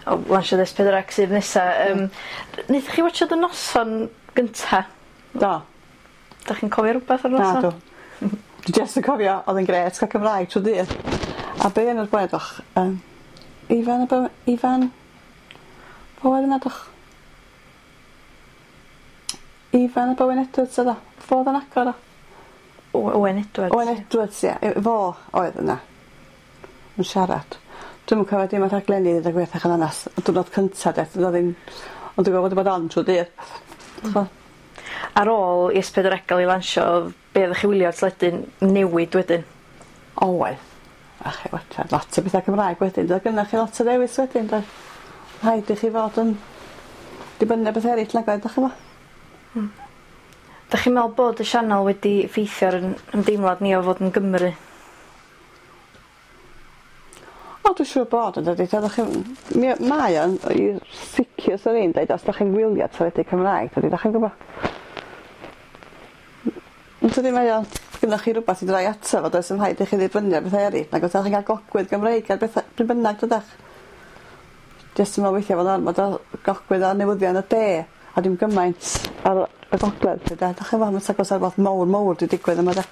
o lansiad S4C sydd nesa. Wnaethoch chi watsiad y noson gynta? Do. Dach chi'n cofio rwbath o'r noson? Nadw. Dwi jyst yn cofio o'dd yn grêt ca'l Cymraeg trw dydd. A be' yn yr gweddwch Ifan y Bo- Ifan Fo oedd yna doch? Ifan ap Owen Edwards oedd o? Fo o'dd yn agor o? Owen Edwards. Owen Edwards ie. Fo oedd yna. Yn siarad. Dwi'm yn cofio dim o'r rhaglenni ddeud y gwir thach yn onas. Y diwrnod cynta de do'dd o ddim ond dwi'n gwbod bod on trw dydd. T'bo? Ar ôl i S4C ga'l ei lansio o'dd be' oddech chi wylio ar teledu'n newid wedyn? Oedd. A chi watsiad lot o betha Cymraeg wedyn doedd gynnoch chi lot o ddewis wedyn doedd? Rhaid i chi fod yn dibynnu ar betha eryll nag oedd 'dach ch'mo'? Dach chi'n meddwl bod y sianel wedi effeithio ar 'yn ymdeimlad ni o fod yn Gymry? O dwi siŵr bod o dydi t'od 'dach chi mi mae o'n i sicir swn i'n deud os 'dach chi'n gwylio teledu Cymraeg dydi 'dach chi'n gwbo? Yn tydi mae o gynnoch chi rwbath i droi ato fo does 'im rhaid i chi ddibynnu ar betha eryll nag o's a chi'n ga'l gogwydd Gymreig ar betha pryd bynnag dydach? Jyst yn me'wl weithia' fod ormod o gogwydd ar newyddion y de a dim gymaint ar y gogledd 'lly 'de 'dach chi'n wbo' ma' 'tha gosa rwbath mowr mowr 'di digwydd yma 'de?